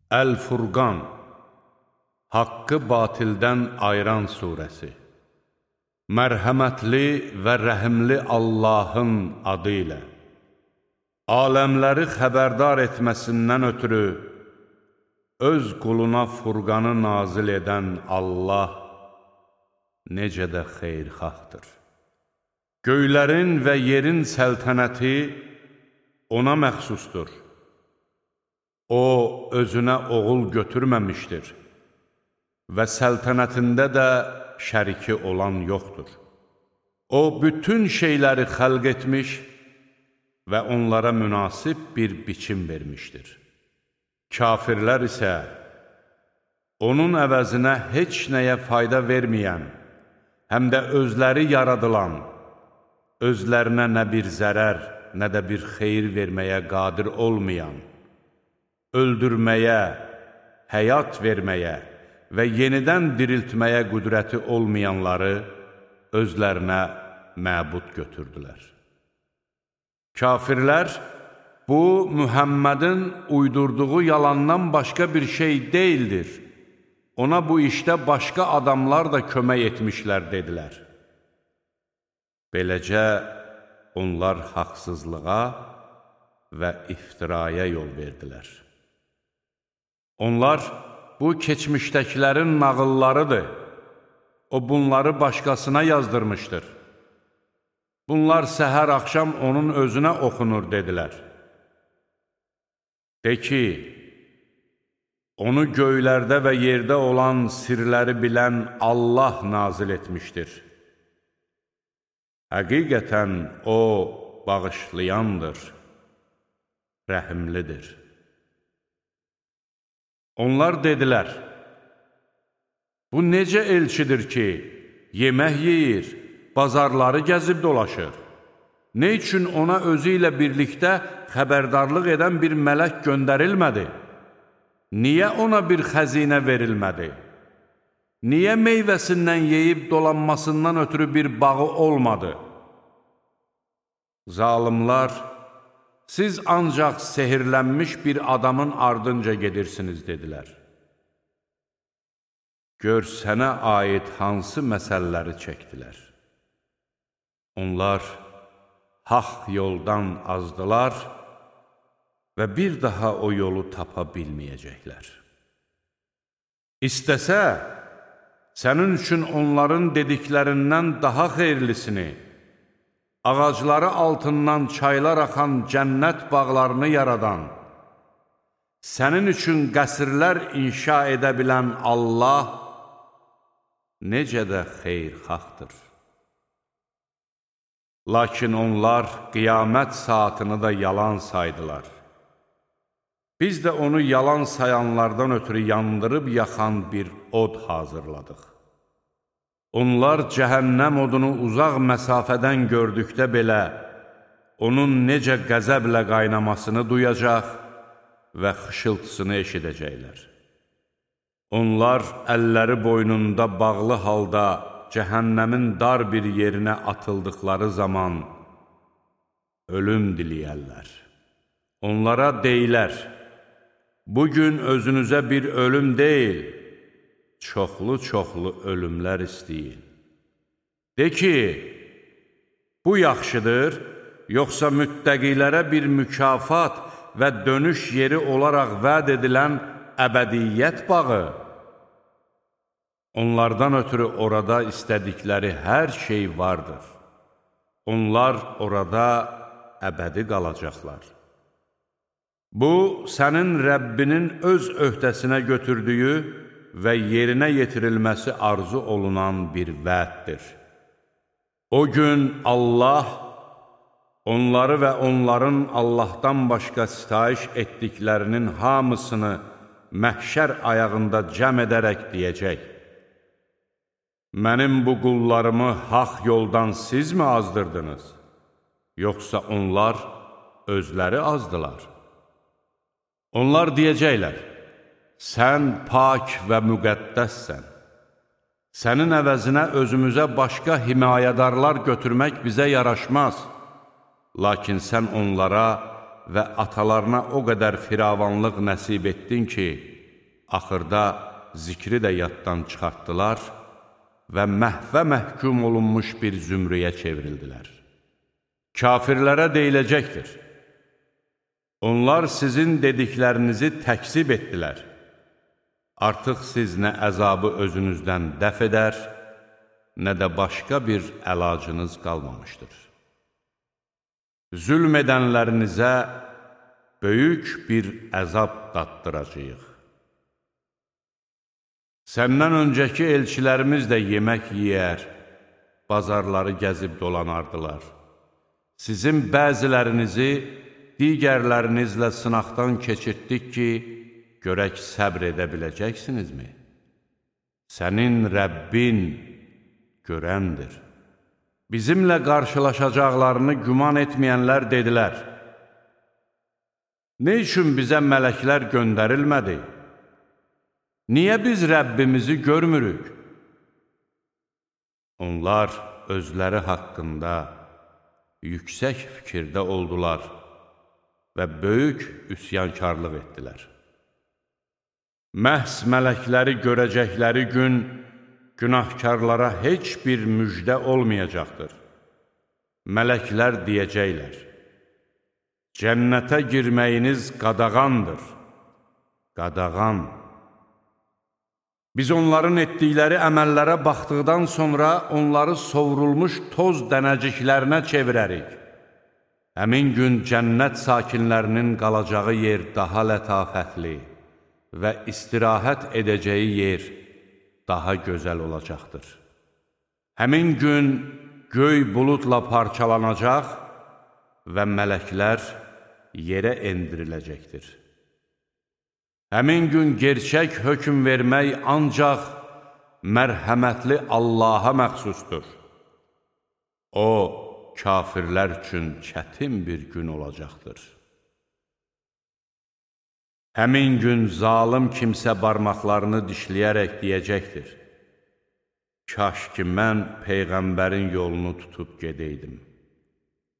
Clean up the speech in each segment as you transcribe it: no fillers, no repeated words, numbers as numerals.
Əl-Furqan, Haqqı batildən ayıran surəsi. Mərhəmətli və rəhimli Allahın adı ilə. Aləmləri xəbərdar etməsindən ötürü öz quluna Furqanı nazil edən Allah necə də xeyirxahdır. Göylərin və yerin səltənəti ona məxsusdur. O, özünə oğul götürməmişdir və səltənətində də şəriki olan yoxdur. O, bütün şeyləri xəlq etmiş və onlara münasib bir biçim vermişdir. Kafirlər isə onun əvəzinə heç nəyə fayda verməyən, həm də özləri yaradılan, özlərinə nə bir zərər, nə də bir xeyir verməyə qadir olmayan, öldürməyə, həyat verməyə və yenidən diriltməyə qüdrəti olmayanları özlərinə məbud götürdülər. Kafirlər, bu, Mühəmmədin uydurduğu yalandan başqa bir şey deyildir. Ona bu işdə başqa adamlar da kömək etmişlər, dedilər. Beləcə, onlar haqsızlığa və iftiraya yol verdilər. Onlar, bu keçmişdəkilərin nağıllarıdır. O, bunları başqasına yazdırmışdır. Bunlar səhər axşam onun özünə oxunur, dedilər. De ki, onu göylərdə və yerdə olan sirləri bilən Allah nazil etmişdir. Həqiqətən o, bağışlayandır, rəhimlidir. Onlar dedilər, bu necə elçidir ki, yemək yeyir, bazarları gəzib dolaşır? Nə üçün ona özü ilə birlikdə xəbərdarlıq edən bir mələk göndərilmədi? Niyə ona bir xəzinə verilmədi? Niyə meyvəsindən yeyib dolanmasından ötürü bir bağı olmadı? Zalimlar, siz ancaq sehirlənmiş bir adamın ardınca gedirsiniz, dedilər. Gör, sənə aid hansı məsələləri çəkdilər. Onlar haqq yoldan azdılar və bir daha o yolu tapa bilməyəcəklər. İstəsə, sənin üçün onların dediklərindən daha xeyirlisini, ağacları altından çaylar axan cənnət bağlarını yaradan, sənin üçün qəsrlər inşa edə bilən Allah necə də xeyirxahdır. Lakin onlar qiyamət saatını da yalan saydılar. Biz də onu yalan sayanlardan ötürü yandırıb yaxan bir od hazırladıq. Onlar cəhənnəm odunu uzaq məsafədən gördükdə belə, onun necə qəzəblə qaynamasını duyacaq və xışıltısını eşidəcəklər. Onlar əlləri boynunda bağlı halda cəhənnəmin dar bir yerinə atıldıqları zaman ölüm diləyərlər. Onlara deyilər, bugün özünüzə bir ölüm deyil, çoxlu-çoxlu ölümlər istəyin. De ki, bu yaxşıdır, yoxsa müttəqilərə bir mükafat və dönüş yeri olaraq vəd edilən əbədiyyət bağı? Onlardan ötürü orada istədikləri hər şey vardır. Onlar orada əbədi qalacaqlar. Bu, sənin Rəbbinin öz öhdəsinə götürdüyü və yerinə yetirilməsi arzu olunan bir vəddir. O gün Allah onları və onların Allahdan başqa sitayiş etdiklərinin hamısını məhşər ayağında cəm edərək deyəcək: Mənim bu qullarımı haqq yoldan sizmi azdırdınız? Yoxsa onlar özləri azdılar? Onlar deyəcəklər: Sən pak və müqəddəssən. Sənin əvəzinə özümüzə başqa himayədarlar götürmək bizə yaraşmaz. Lakin sən onlara və atalarına o qədər firavanlıq nəsib etdin ki, axırda zikri də yaddan çıxartdılar və məhvə məhkum olunmuş bir zümrüyə çevrildilər. Kafirlərə deyiləcəkdir: onlar sizin dediklərinizi təkzib etdilər. Artıq siz nə əzabı özünüzdən dəf edər, nə də başqa bir əlacınız qalmamışdır. Zülm edənlərinizə böyük bir əzab daddıracağıq. Səndən öncəki elçilərimiz də yemək yeyər, bazarları gəzib dolanardılar. Sizin bəzilərinizi digərlərinizlə sınaqdan keçirtdik ki, görək səbr edə biləcəksinizmi? Sənin Rəbbin görəndir. Bizimlə qarşılaşacaqlarını güman etməyənlər dedilər: nə üçün bizə mələklər göndərilmədi? Niyə biz Rəbbimizi görmürük? Onlar özləri haqqında yüksək fikirdə oldular və böyük üsyankarlıq etdilər. Məhz mələkləri görəcəkləri gün günahkarlara heç bir müjdə olmayacaqdır. Mələklər deyəcəklər: cənnətə girməyiniz qadağandır. Qadağan. Biz onların etdikləri əməllərə baxdıqdan sonra onları sovrulmuş toz dənəciklərinə çevirərik. Həmin gün cənnət sakinlərinin qalacağı yer daha lətafətli və istirahət edəcəyi yer daha gözəl olacaqdır. Həmin gün göy buludla parçalanacaq və mələklər yerə endiriləcəkdir. Həmin gün gerçək hökm vermək ancaq mərhəmətli Allaha məxsusdur. O, kafirlər üçün çətin bir gün olacaqdır. Həmin gün zalım kimsə barmaqlarını dişləyərək deyəcəkdir: kaş ki, mən Peyğəmbərin yolunu tutub gedəydim.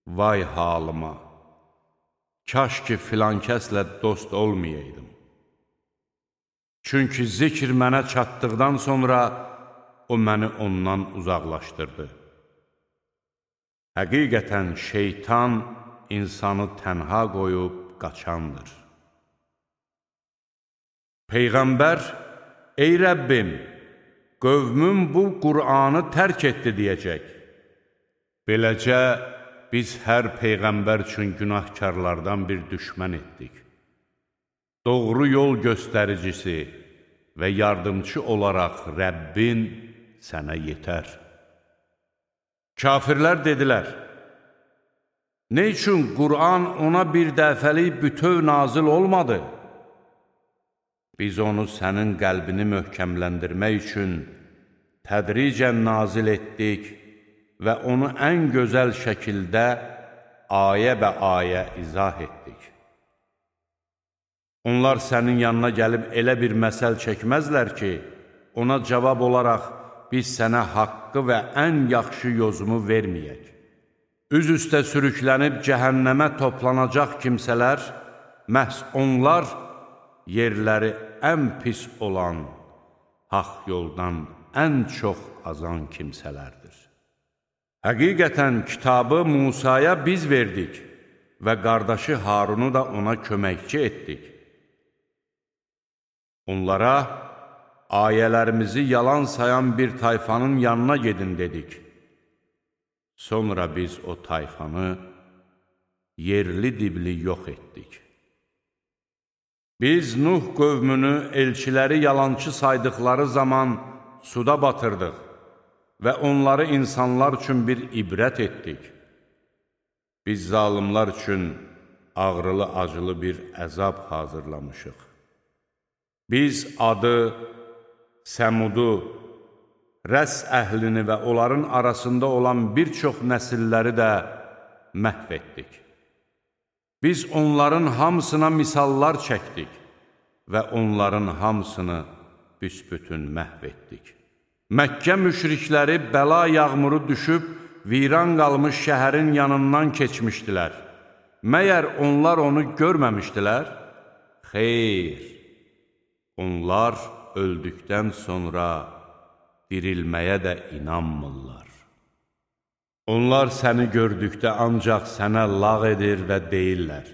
Vay halıma! Kaş ki, filan kəslə dost olmayaydım. Çünki zikr mənə çatdıqdan sonra o məni ondan uzaqlaşdırdı. Həqiqətən şeytan insanı tənha qoyub qaçandır. Peyğəmbər: ey Rəbbim, qövmüm bu Qur'anı tərk etdi deyəcək. Beləcə, biz hər Peyğəmbər üçün günahkarlardan bir düşmən etdik. Doğru yol göstəricisi və yardımcı olaraq Rəbbin sənə yetər. Kafirlər dedilər: nə üçün Qur'an ona bir dəfəlik bütöv nazil olmadı? Biz onu sənin qəlbini möhkəmləndirmək üçün tədricən nazil etdik və onu ən gözəl şəkildə ayə bə ayə izah etdik. Onlar sənin yanına gəlib elə bir məsəl çəkməzlər ki, ona cavab olaraq biz sənə haqqı və ən yaxşı yozumu verməyək. Üz üstə sürüklənib cəhənnəmə toplanacaq kimsələr, məhz onlar yerləri ən pis olan, haqq yoldan ən çox azan kimsələrdir. Həqiqətən kitabı Musaya biz verdik və qardaşı Harunu da ona köməkçi etdik. Onlara ayələrimizi yalan sayan bir tayfanın yanına gedin dedik. Sonra biz o tayfanı yerli dibli yox etdik. Biz Nuh qövmünü elçiləri yalançı saydıqları zaman suda batırdıq və onları insanlar üçün bir ibrət etdik. Biz zalimlar üçün ağrılı-acılı bir əzab hazırlamışıq. Biz Adı, Səmudu, Rəs əhlini və onların arasında olan bir çox nəsilləri də məhv etdik. Biz onların hamısına misallar çəkdik və onların hamısını büsbütün məhv etdik. Məkkə müşrikləri bəla yağmuru düşüb, viran qalmış şəhərin yanından keçmişdilər. Məyər onlar onu görməmişdilər? Xeyr, Onlar öldükdən sonra dirilməyə də inanmırlar. Onlar səni gördükdə ancaq sənə lağ edir və deyirlər: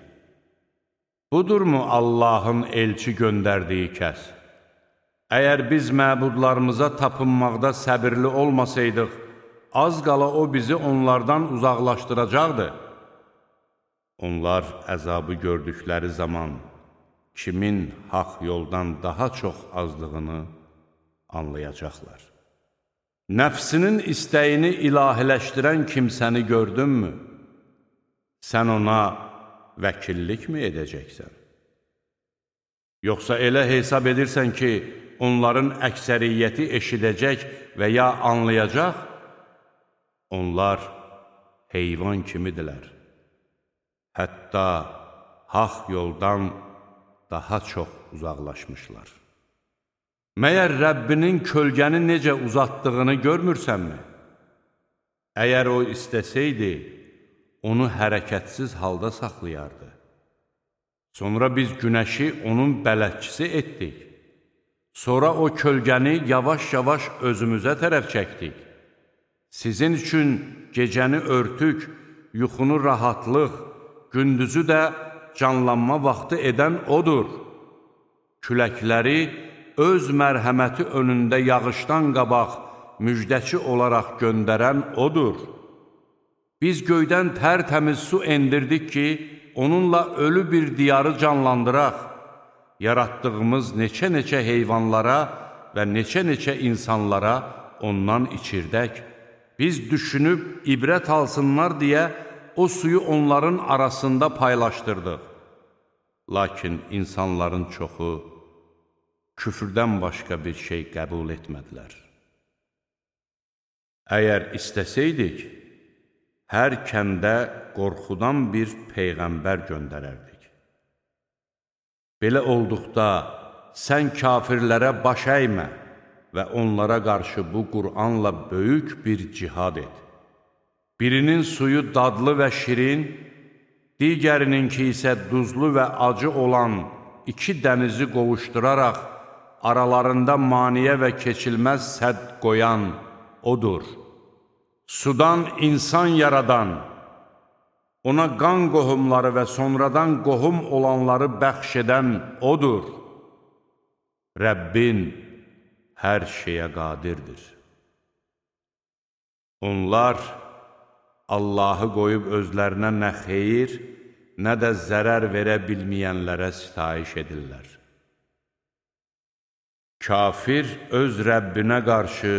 budurmu Allahın elçi göndərdiyi kəs? Əgər biz məbudlarımıza tapınmaqda səbirli olmasaydıq, az qala o bizi onlardan uzaqlaşdıracaqdı. Onlar əzabı gördükləri zaman kimin haqq yoldan daha çox azdığını anlayacaqlar. Nəfsinin istəyini ilahiləşdirən kimsəni gördünmü? Sən ona vəkillikmi edəcəksən? Yoxsa elə hesab edirsən ki, onların əksəriyyəti eşidəcək və ya anlayacaq? Onlar heyvan kimidirlər. Hətta haqq yoldan daha çox uzaqlaşmışlar. Məyər Rəbbinin kölgəni necə uzatdığını görmürsənmi? Əgər o istəsəydi, onu hərəkətsiz halda saxlayardı. Sonra biz günəşi onun bələdçisi etdik. Sonra o kölgəni yavaş-yavaş özümüzə tərəf çəkdik. Sizin üçün gecəni örtük, yuxunu rahatlıq, gündüzü də canlanma vaxtı edən odur. Küləkləri öz mərhəməti önündə yağışdan qabaq müjdəçi olaraq göndərən odur. Biz göydən tərtəmiz su endirdik ki, onunla ölü bir diyarı canlandıraq. Yaratdığımız neçə-neçə heyvanlara və neçə-neçə insanlara ondan içirdək. Biz düşünüb ibrət alsınlar deyə o suyu onların arasında paylaşdırdıq. Lakin insanların çoxu küfrdən başqa bir şey qəbul etmədilər. Əgər istəsəydik, hər kəndə qorxudan bir peyğəmbər göndərərdik. Belə olduqda sən kafirlərə baş əymə və onlara qarşı bu Qur'anla böyük bir cihad et. Birinin suyu dadlı və şirin, digərininki isə duzlu və acı olan iki dənizi qovuşduraraq aralarında maniyə və keçilməz sədd qoyan odur. Sudan insan yaradan, ona qan qohumları və sonradan qohum olanları bəxş edən odur. Rəbbin hər şeyə qadirdir. Onlar Allahı qoyub özlərinə nə xeyir, nə də zərər verə bilməyənlərə sitayiş edirlər. Kafir öz Rəbbinə qarşı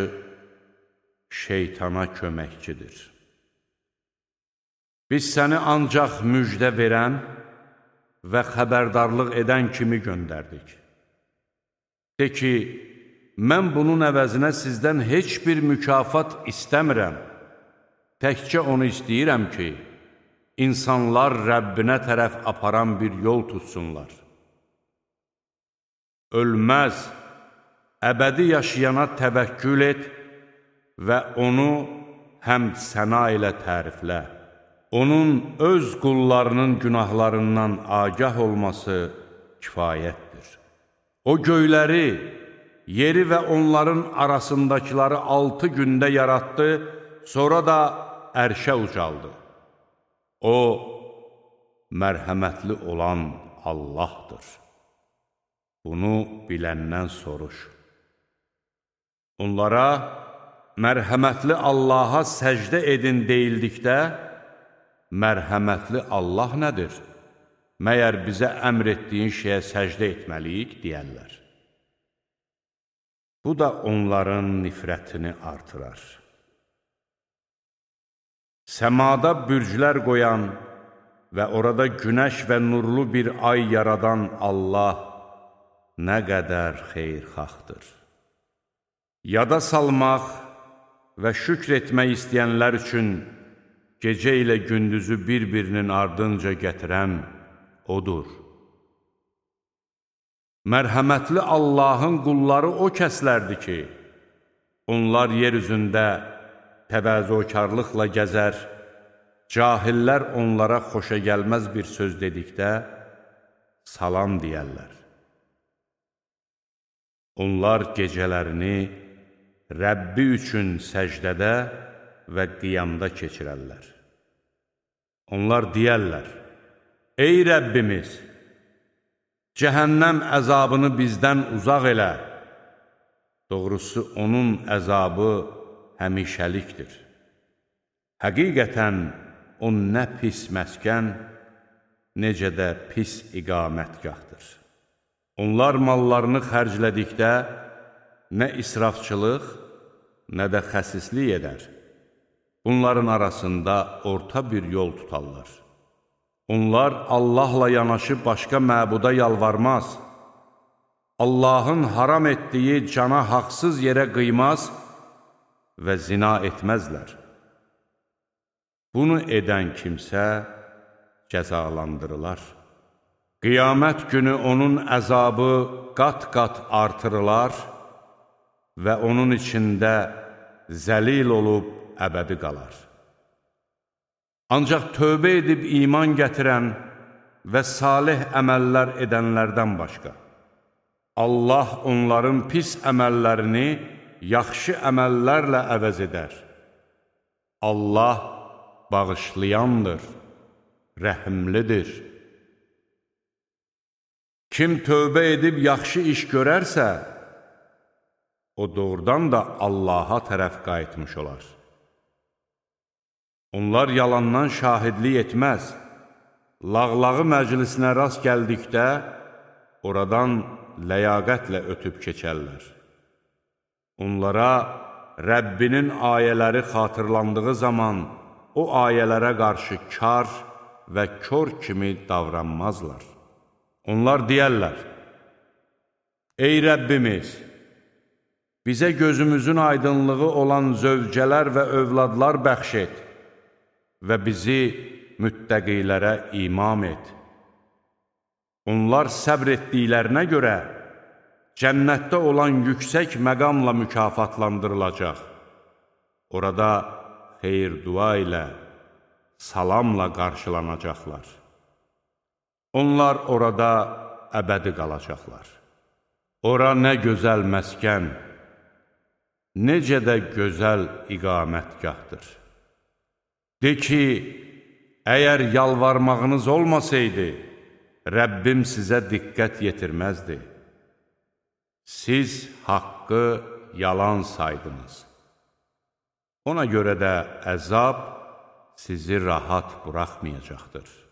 şeytana köməkçidir. Biz səni ancaq müjdə verən və xəbərdarlıq edən kimi göndərdik. De ki, mən bunun əvəzinə sizdən heç bir mükafat istəmirəm. Təkcə onu istəyirəm ki, insanlar Rəbbinə tərəf aparan bir yol tutsunlar. Ölməz, əbədi yaşayana təvəkkül et və onu həmd səna ilə təriflə. Onun öz qullarının günahlarından agah olması kifayətdir. O göyləri, yeri və onların arasındakiləri 6 gündə yaratdı, sonra da ərşə ucaldı. O, mərhəmətli olan Allahdır. Bunu biləndən soruş. Onlara, mərhəmətli Allaha səcdə edin deyildikdə, mərhəmətli Allah nədir? Məyər bizə əmr etdiyin şeyə səcdə etməliyik, deyərlər. Bu da onların nifrətini artırar. Səmada bürclər qoyan və orada günəş və nurlu bir ay yaradan Allah nə qədər xeyirxahdır. Yada salmaq və şükr etmək istəyənlər üçün gecə ilə gündüzü bir-birinin ardınca gətirən odur. Mərhəmətli Allahın qulları o kəslərdir ki, onlar yer üzündə təvazökarlıqla gəzər, cahillər onlara xoşa gəlməz bir söz dedikdə salam deyərlər. Onlar gecələrini Rəbbi üçün səcdədə və qiyamda keçirərlər. Onlar deyərlər, ey Rəbbimiz, cəhənnəm əzabını bizdən uzaq elə. Doğrusu, onun əzabı həmişəlikdir. Həqiqətən, o nə pis məskən, necə də pis iqamətgahdır. Onlar mallarını xərclədikdə nə israfçılıq, nə də xəsislik edər. Bunların arasında orta bir yol tutarlar. Onlar Allahla yanaşı başqa məbuda yalvarmaz. Allahın haram etdiyi cana haqsız yerə qıymaz və zina etməzlər. Bunu edən kimsə cəzalandırılar. Qiyamət günü onun əzabı qat-qat artırılar və onun içində zəlil olub əbədi qalar. Ancaq tövbə edib iman gətirən və salih əməllər edənlərdən başqa, Allah onların pis əməllərini yaxşı əməllərlə əvəz edər. Allah bağışlayandır, rəhimlidir. Kim tövbə edib yaxşı iş görərsə, o doğrudan da Allaha tərəf qayıtmış olar. Onlar yalandan şahidlik etməz. Lağlağı məclisinə rast gəldikdə, oradan ləyaqətlə ötüb keçərlər. Onlara Rəbbinin ayələri xatırlandığı zaman, o ayələrə qarşı kar və kör kimi davranmazlar. Onlar deyərlər, ey Rəbbimiz, bizə gözümüzün aydınlığı olan zövcələr və övladlar bəxş et və bizi müttəqilərə imam et. Onlar səbr etdiklərinə görə cənnətdə olan yüksək məqamla mükafatlandırılacaq. Orada xeyir-dua ilə, salamla qarşılanacaqlar. Onlar orada əbədi qalacaqlar. Ora nə gözəl məskən, necə də gözəl iqamətgahdır. De ki, əgər yalvarmağınız olmasaydı, Rəbbim sizə diqqət yetirməzdi. Siz haqqı yalan saydınız. Ona görə də əzab sizi rahat buraxmayacaqdır.